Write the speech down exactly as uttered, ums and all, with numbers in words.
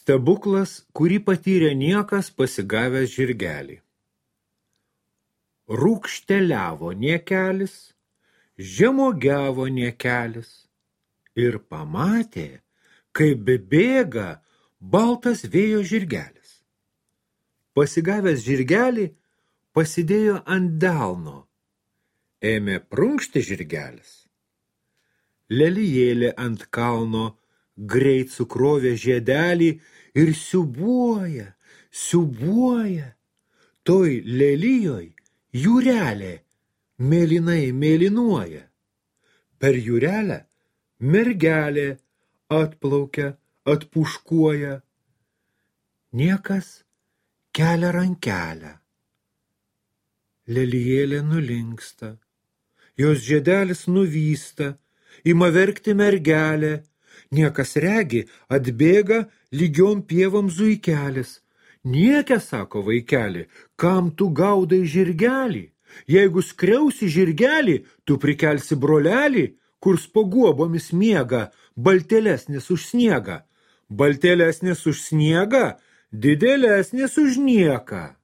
Stebuklas, kurį patyrė niekas pasigavęs žirgelį. Rūkšteliavo niekelis, žemogiavo niekelis ir pamatė, kaip bėga baltas vėjo žirgelis. Pasigavęs žirgelį, pasidėjo ant delno. Ėmė prunkšti žirgelis. Lelijėlė ant kalno greit sukrovė žiedelį ir siūbuoja, siūbuoja. Toj lelijoj jūrelė mėlynai mėlynuoja. Per jūrelę mergelė atplaukia, atpuškuoja. Niekas kelia rankelę. Lelijėlė nulinksta, jos žiedelis nuvysta, ima verkti mergelė. Niekas regi, atbėga lygiom pievom zuikelis. Niekia, sako vaikeli, kam tu gaudai žirgelį? Jeigu skriausi žirgelį, tu prikelsi brolelį, kur spoguobomis miega, baltėlesnis už sniegą. Baltėlesnis už sniegą, didelesnis už nieką.